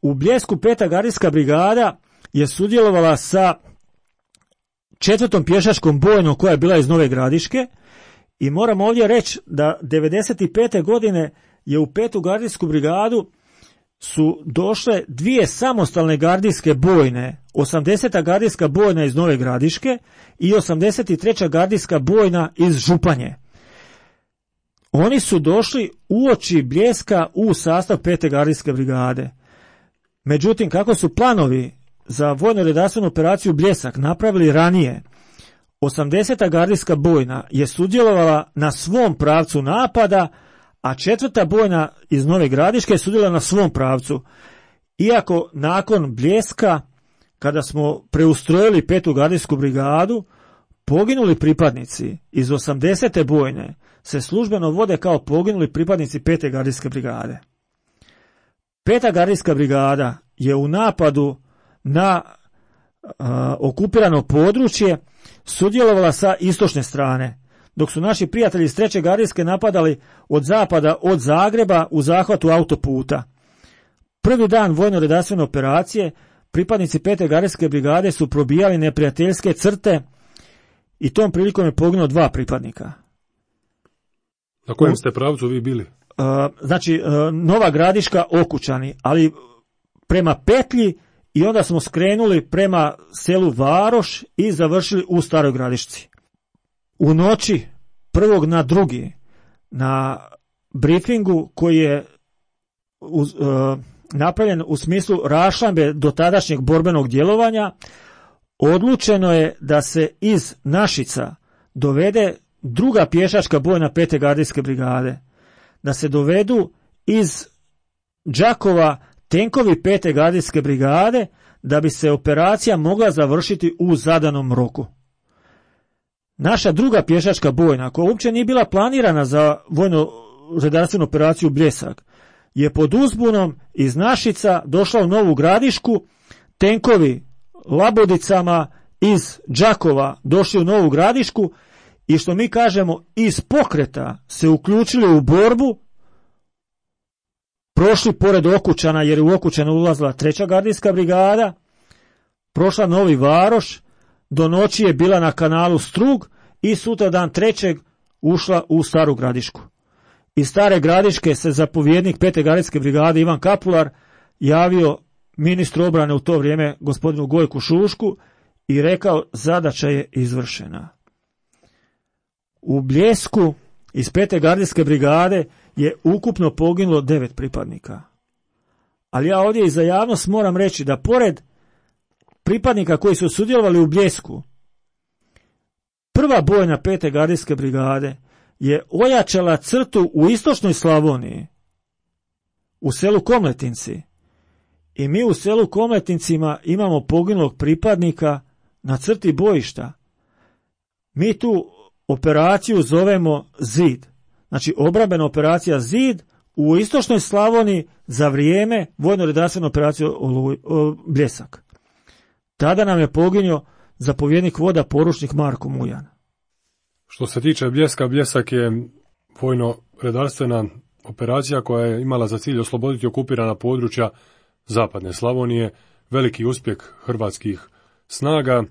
U Bljesku 5. gardijska brigada je sudjelovala sa 4. pješačkom bojnom koja je bila iz Nove Gradiške i moram ovdje reći da 95. godine je u 5. gardijsku brigadu su došle 2 samostalne gardijske bojne, 80. gardijska bojna iz Nove Gradiške i 83. gardijska bojna iz Županje. Oni su došli uoči Bljeska u sastav 5. gardijske brigade. Međutim, kako su planovi za vojno-redarstvenu operaciju Bljesak napravili ranije, 80. gardijska bojna je sudjelovala na svom pravcu napada, a 4. bojna iz Nove Gradiške je sudjelovala na svom pravcu. Iako nakon Bljeska, kada smo preustrojili 5. gardijsku brigadu, poginuli pripadnici iz 80. bojne se službeno vode kao poginuli pripadnici 5. gardijske brigade. 5. gardijska brigada je u napadu na okupirano područje sudjelovala sa istočne strane, dok su naši prijatelji iz 3. gardijske napadali od zapada, od Zagreba u zahvatu autoputa. Prvi dan vojno-redarstvene operacije pripadnici 5. gardijske brigade su probijali neprijateljske crte i tom prilikom je poginulo 2 pripadnika. Na kojem ste pravcu vi bili? Znači, Nova Gradiška, Okučani, ali prema petlji i onda smo skrenuli prema selu Varoš i završili u Staroj Gradišci. U noći 1. na 2. na briefingu koji je napravljen u smislu raščlambe do tadašnjeg borbenog djelovanja, odlučeno je da se iz Našica dovede 2. pješačka bojna 5. gardijske brigade, da se dovedu iz Đakova tenkovi 5. gardijske brigade, da bi se operacija mogla završiti u zadanom roku. Naša 2. pješačka bojna, koja uopće nije bila planirana za vojno-redarstvenu operaciju Bljesak, je pod uzbunom iz Našica došla u Novu Gradišku, tenkovi labodicama iz Đakova došli u Novu Gradišku i što mi kažemo iz pokreta se uključili u borbu, prošli pored Okučana jer je u Okučana ulazila 3. gardijska brigada, prošla Novi Varoš, do noći je bila na kanalu Strug i sutra dan 3. ušla u Staru Gradišku. Iz Stare Gradiške se zapovjednik 5. gardijske brigade Ivan Kapular javio ministru obrane u to vrijeme gospodinu Gojku Šušku i rekao zadaća je izvršena. U Bljesku iz 5. gardijske brigade je ukupno poginulo 9 pripadnika. Ali ja ovdje i za javnost moram reći da pored pripadnika koji su sudjelovali u Bljesku, 1. bojna 5. gardijske brigade je ojačala crtu u istočnoj Slavoniji, u selu Komletinci. I mi u selu Komletincima imamo poginulog pripadnika na crti bojišta. Mi tu operaciju zovemo Zid. Znači obrambena operacija Zid u istočnoj Slavoniji za vrijeme vojno-redarstvene operacije Bljesak. Tada nam je poginuo zapovjednik voda poručnik Marko Mujan. Što se tiče Bljeska, Bljesak je vojno-redarstvena operacija koja je imala za cilj osloboditi okupirana područja zapadne Slavonije, veliki uspjeh hrvatskih snaga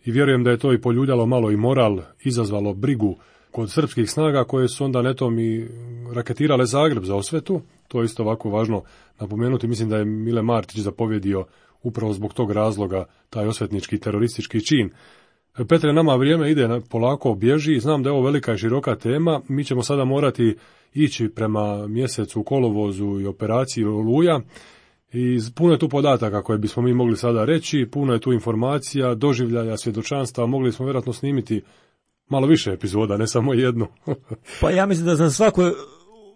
i vjerujem da je to i poljuljalo malo i moral, izazvalo brigu kod srpskih snaga koje su onda netom i raketirale Zagreb za osvetu. To je isto ovako važno napomenuti. Mislim da je Mile Martić zapovjedio upravo zbog tog razloga taj osvetnički teroristički čin. Petre, nama vrijeme ide polako, bježi. Znam da je ovo velika i široka tema. Mi ćemo sada morati ići prema mjesecu kolovozu i operaciji Oluja. I puno je tu podataka koje bismo mi mogli sada reći, puno je tu informacija, doživljaja, svjedočanstva, mogli smo vjerojatno snimiti malo više epizoda, ne samo jednu. Pa ja mislim da za svaku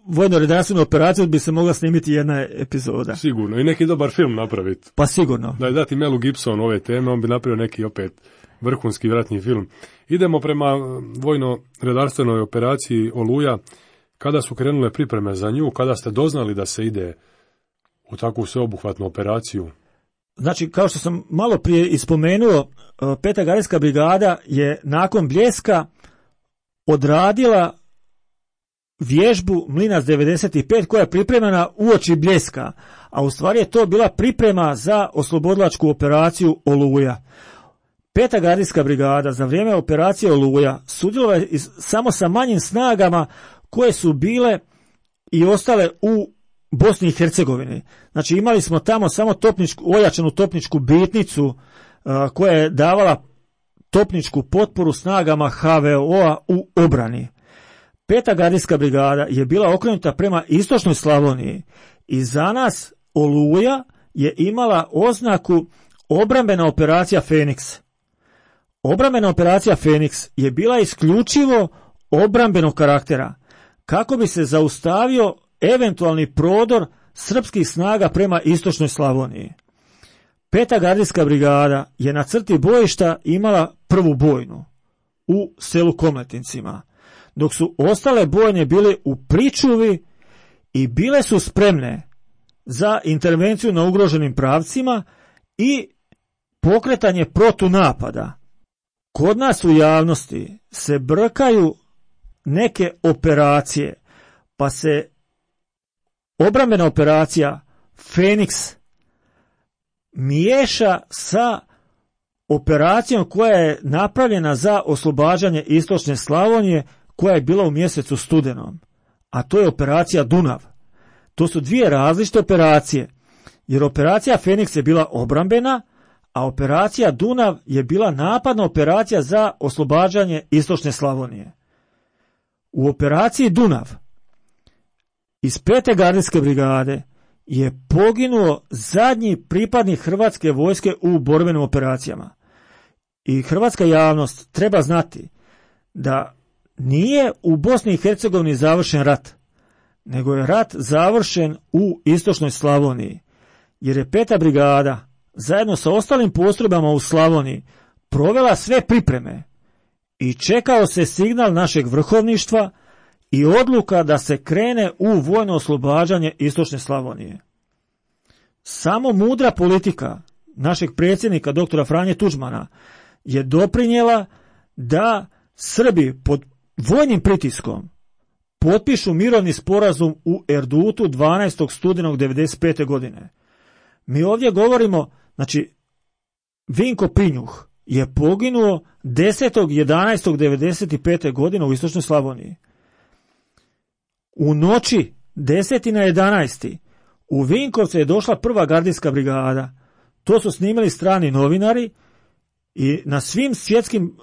vojno-redarstvenu operaciju bi se mogla snimiti jedna epizoda. Sigurno, i neki dobar film napraviti. Pa sigurno. Da je dati Melu Gibsonu ove teme, on bi napravio neki opet vrhunski ratni film. Idemo prema vojno-redarstvenoj operaciji Oluja. Kada su krenule pripreme za nju, kada ste doznali da se ide u takvu sveobuhvatnu operaciju? Znači, kao što sam malo prije ispomenuo, 5. gardijska brigada je nakon Bljeska odradila vježbu Mlinac 95 koja je pripremana uoči Bljeska, a u stvari je to bila priprema za oslobodilačku operaciju Oluja. 5. gardijska brigada za vrijeme operacije Oluja sudjelovala je samo sa manjim snagama koje su bile i ostale u Bosni i Hercegovini. Znači imali smo tamo samo ojačanu topničku bitnicu koja je davala topničku potporu snagama HVO-a u obrani. 5. gardijska brigada je bila okrenuta prema istočnoj Slavoniji i za nas Oluja je imala oznaku obrambena operacija Feniks. Obrambena operacija Feniks je bila isključivo obrambenog karaktera kako bi se zaustavio eventualni prodor srpskih snaga prema istočnoj Slavoniji. 5. gardijska brigada je na crti bojišta imala prvu bojnu u selu Komletincima, dok su ostale bojne bile u pričuvi i bile su spremne za intervenciju na ugroženim pravcima i pokretanje protunapada. Kod nas u javnosti se brkaju neke operacije, pa se obrambena operacija Feniks miješa sa operacijom koja je napravljena za oslobađanje istočne Slavonije, koja je bila u mjesecu studenom, a to je operacija Dunav. To su dvije različite operacije, jer operacija Feniks je bila obrambena, a operacija Dunav je bila napadna operacija za oslobađanje istočne Slavonije. U operaciji Dunav iz 5. gardijske brigade je poginuo zadnji pripadnik hrvatske vojske u borbenim operacijama. I hrvatska javnost treba znati da nije u Bosni i Hercegovini završen rat, nego je rat završen u istočnoj Slavoniji, jer je 5. brigada zajedno sa ostalim postrojbama u Slavoniji provela sve pripreme i čekao se signal našeg vrhovništva i odluka da se krene u vojno oslobađanje istočne Slavonije. Samo mudra politika našeg predsjednika doktora Franje Tuđmana je doprinijela da Srbi pod vojnim pritiskom potpišu mirovni sporazum u Erdutu 12. studenog 1995. godine. Mi ovdje govorimo, znači, Vinko Pinjuh je poginuo 10.11.1995. godine u istočnoj Slavoniji. U noći 10. na 11. u Vinkovce je došla 1. gardijska brigada. To su snimili strani novinari i na svim svjetskim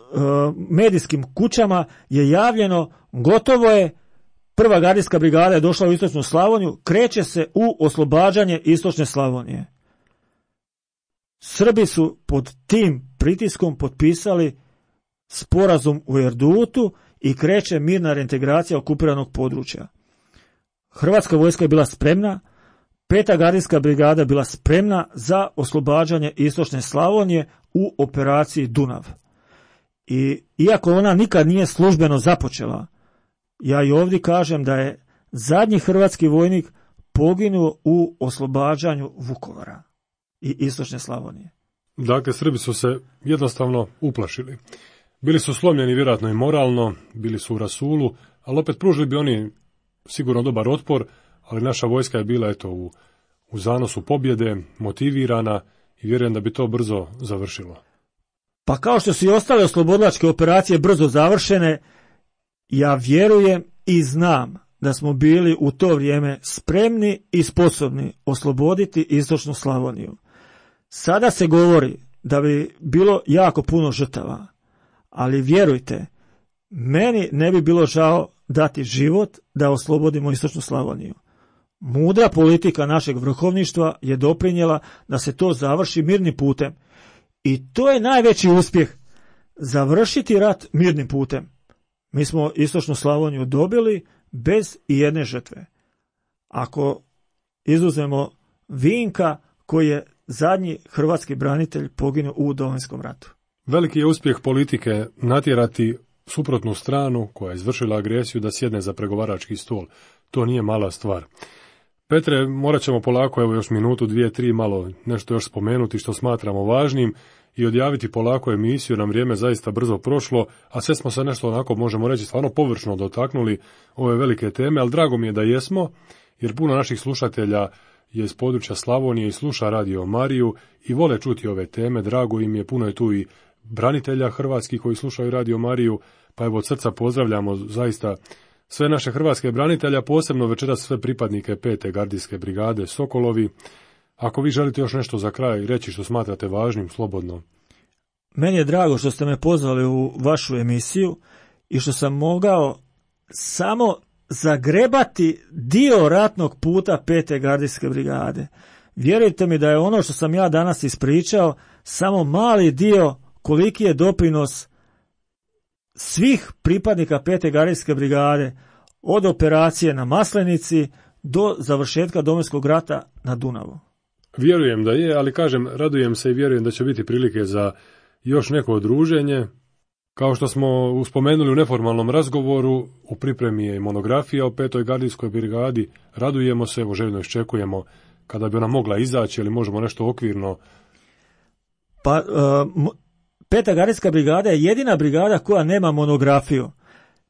medijskim kućama je javljeno gotovo je, 1. gardijska brigada je došla u istočnu Slavoniju, kreće se u oslobađanje istočne Slavonije. Srbi su pod tim pritiskom potpisali sporazum u Erdutu i kreće mirna reintegracija okupiranog područja. Hrvatska vojska je bila spremna, 5. gardijska brigada bila spremna za oslobađanje istočne Slavonije u operaciji Dunav. I iako ona nikad nije službeno započela, ja i ovdje kažem da je zadnji hrvatski vojnik poginuo u oslobađanju Vukovara i istočne Slavonije. Dakle, Srbi su se jednostavno uplašili. Bili su slomljeni vjerojatno i moralno, bili su u rasulu, ali opet pružili bi oni sigurno dobar otpor, ali naša vojska je bila u zanosu pobjede, motivirana i vjerujem da bi to brzo završilo. Pa kao što su i ostale oslobodilačke operacije brzo završene, ja vjerujem i znam da smo bili u to vrijeme spremni i sposobni osloboditi istočnu Slavoniju. Sada se govori da bi bilo jako puno žrtava, ali vjerujte, meni ne bi bilo žao dati život da oslobodimo istočnu Slavoniju. Mudra politika našeg vrhovništva je doprinijela da se to završi mirnim putem. I to je najveći uspjeh, završiti rat mirnim putem. Mi smo istočnu Slavoniju dobili bez ijedne žrtve. Ako izuzmemo Vinka, koji je zadnji hrvatski branitelj poginuo u Domovinskom ratu. Veliki je uspjeh politike natjerati suprotnu stranu koja je izvršila agresiju da sjedne za pregovarački stol. To nije mala stvar. Petre, morat ćemo polako, evo još minutu, 2, 3, malo nešto još spomenuti što smatramo važnim i odjaviti polako emisiju, nam vrijeme zaista brzo prošlo, a sve smo se nešto onako, možemo reći, stvarno površno dotaknuli ove velike teme, ali drago mi je da jesmo, jer puno naših slušatelja je iz područja Slavonije i sluša Radio Mariju i vole čuti ove teme, drago im je, puno je tu i branitelja hrvatskih koji slušaju Radio Mariju, pa evo od srca pozdravljamo zaista sve naše hrvatske branitelja, posebno večeras sve pripadnike 5. gardijske brigade Sokolovi. Ako vi želite još nešto za kraj reći što smatrate važnim, slobodno. Meni je drago što ste me pozvali u vašu emisiju i što sam mogao samo zagrebati dio ratnog puta 5. gardijske brigade. Vjerujte mi da je ono što sam ja danas ispričao samo mali dio koliki je doprinos svih pripadnika 5. gardijske brigade od operacije na Maslenici do završetka Domovinskog rata na Dunavu. Vjerujem da je, ali kažem, radujem se i vjerujem da će biti prilike za još neko druženje. Kao što smo spomenuli u neformalnom razgovoru, u pripremi je i monografija o 5. gardijskoj brigadi. Radujemo se, evo željno iščekujemo kada bi ona mogla izaći, ili možemo nešto okvirno. Pa, 5. gardijska brigada je jedina brigada koja nema monografiju.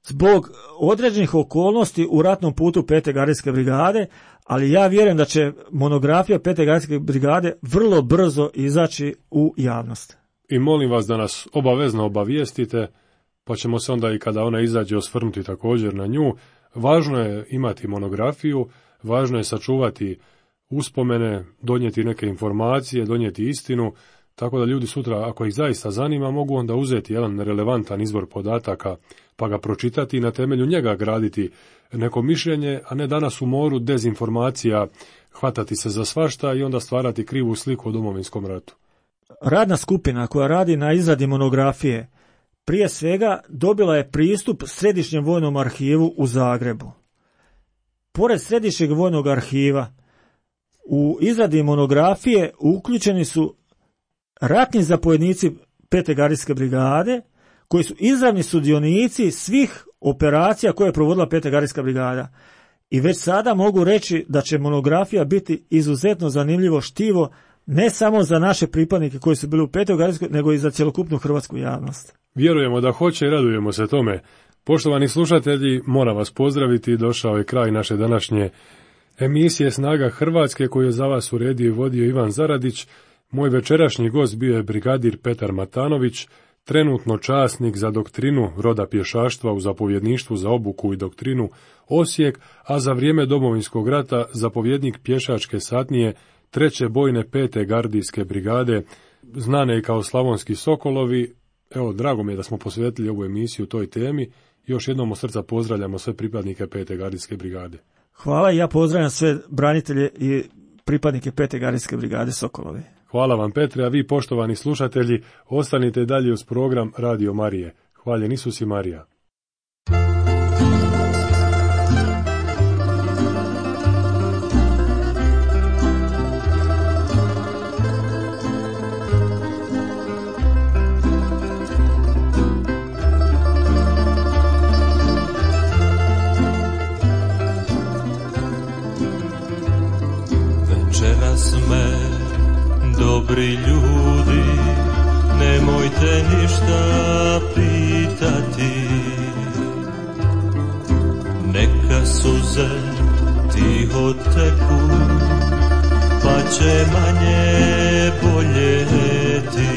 Zbog određenih okolnosti u ratnom putu 5. gardijske brigade, ali ja vjerujem da će monografija 5. gardijske brigade vrlo brzo izaći u javnost. I molim vas da nas obavezno obavijestite, pa ćemo se onda i kada ona izađe osvrnuti također na nju. Važno je imati monografiju, važno je sačuvati uspomene, donijeti neke informacije, donijeti istinu, tako da ljudi sutra, ako ih zaista zanima, mogu onda uzeti jedan relevantan izvor podataka, pa ga pročitati i na temelju njega graditi neko mišljenje, a ne danas u moru dezinformacija hvatati se za svašta i onda stvarati krivu sliku o Domovinskom ratu. Radna skupina koja radi na izradi monografije prije svega dobila je pristup Središnjem vojnom arhivu u Zagrebu. Pored Središnjeg vojnog arhiva u izradi monografije uključeni su ratni zapovjednici 5. gardijske brigade, koji su izravni sudionici svih operacija koje je provodila 5. gardijska brigada. I već sada mogu reći da će monografija biti izuzetno zanimljivo štivo, ne samo za naše pripadnike koji su bili u 5. gardijskoj, nego i za cjelokupnu hrvatsku javnost. Vjerujemo da hoće i radujemo se tome. Poštovani slušatelji, moram vas pozdraviti, došao je kraj naše današnje emisije Snaga Hrvatske koju je za vas uredio i vodio Ivan Zaradić. Moj večerašnji gost bio je brigadir Petar Matanović, trenutno časnik za doktrinu roda pješaštva u zapovjedništvu za obuku i doktrinu Osijek, a za vrijeme Domovinskog rata zapovjednik pješačke satnije 3. bojne 5. gardijske brigade, znane i kao Slavonski Sokolovi. Evo, drago mi je da smo posvetili ovu emisiju toj temi. Još jednom od srca pozdravljamo sve pripadnike 5. gardijske brigade. Hvala i ja pozdravljam sve branitelje i pripadnike 5. gardijske brigade Sokolovi. Hvala vam, Petre, a vi, poštovani slušatelji, ostanite dalje uz program Radio Marije. Hvaljen Isus i Marija. Večeras me, dobri ljudi, nemojte ništa pitati, neka suze tiho teku, pa će manje boljeti.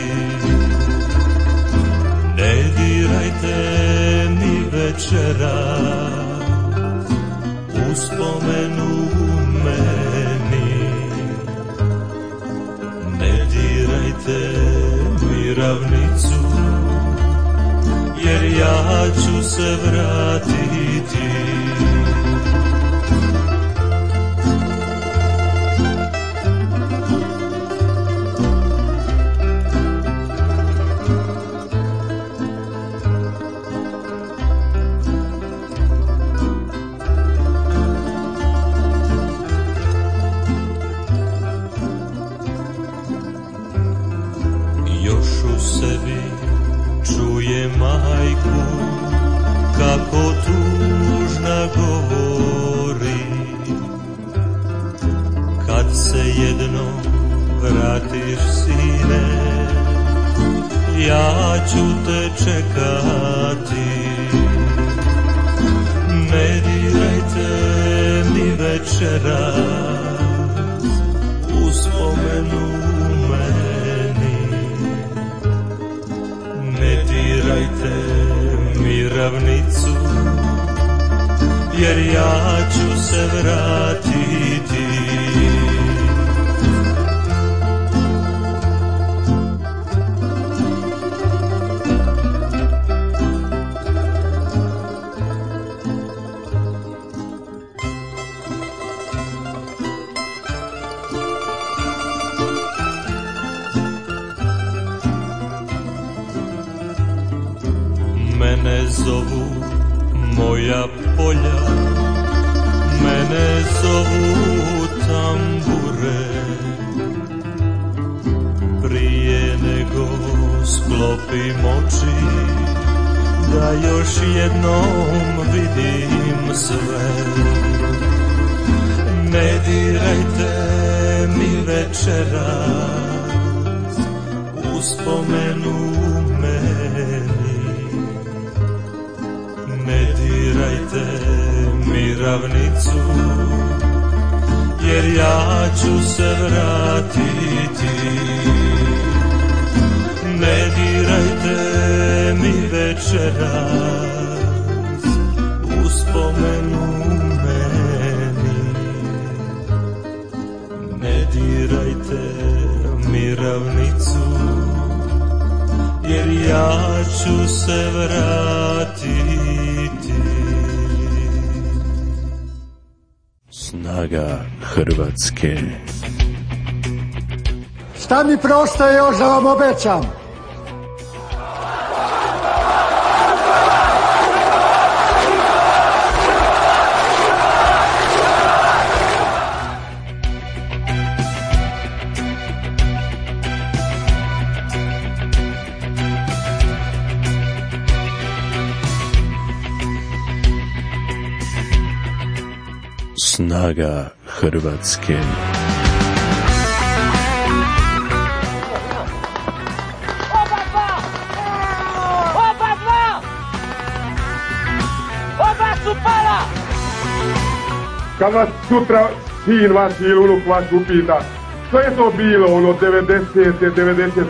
večera uspomenu meni. Ne dirajte mi ravnicu, jer ja ću se vratiti. Čuje majku kako tužna govori, kad se jednom vratiš sine, ja ću te čekati. Ne dirajte mi večeras uspomenu meni. Ne dirajte mi ravnicu, jer ja ću se vratiti. Mene zovu moja polja, mene zovu tambure. Prije nego sklopim oči, da još jednom vidim sve. Ne dirajte mi večeras uspomenu meni. Ne dirajte mi ravnicu, jer ja ću se vratiti. Ne dirajte mi večeras uspomenu meni. Ne dirajte mi ravnicu, jer ja ću se vratiti. Snaga Hrvatske. Šta mi preostaje još da vam obećam? Snaga Hrvatske. Kad vas sutra sin vaš ili unuk vaš upita, što je to bilo ono 90. 91.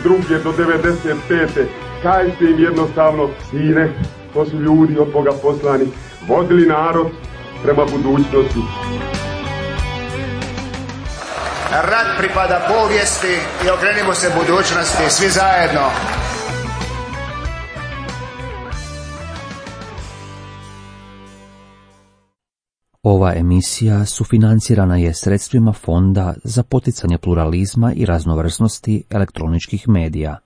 2. do 95. Kažite im jednostavno, sine, to su ljudi od Boga poslani, vodili narod prema budućnosti. Rat pripada povijesti i okrenimo se budućnosti svi zajedno. Ova emisija sufinancirana je sredstvima Fonda za poticanje pluralizma i raznovrsnosti elektroničkih medija.